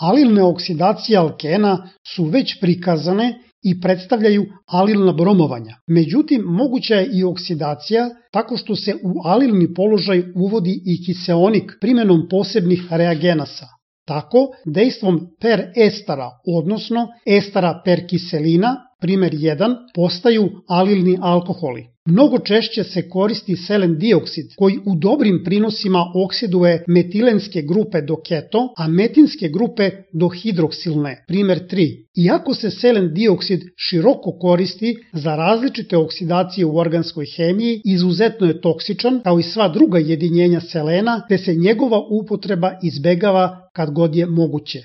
Alilne oksidacije alkena su već prikazane i predstavljaju alilna bromovanja. Međutim, moguća je i oksidacija tako što se u alilni položaj uvodi i kiseonik primjenom posebnih reagenasa. Tako, dejstvom perestara, odnosno estara perkiselina, primjer 1, postaju alilni alkoholi. Mnogo češće se koristi selen dioksid koji u dobrim prinosima oksiduje metilenske grupe do keto, a metinske grupe do hidroksilne, primjer 3. Iako se selen dioksid široko koristi za različite oksidacije u organskoj hemiji, izuzetno je toksičan kao i sva druga jedinjenja selena, te se njegova upotreba izbegava kad god je moguće.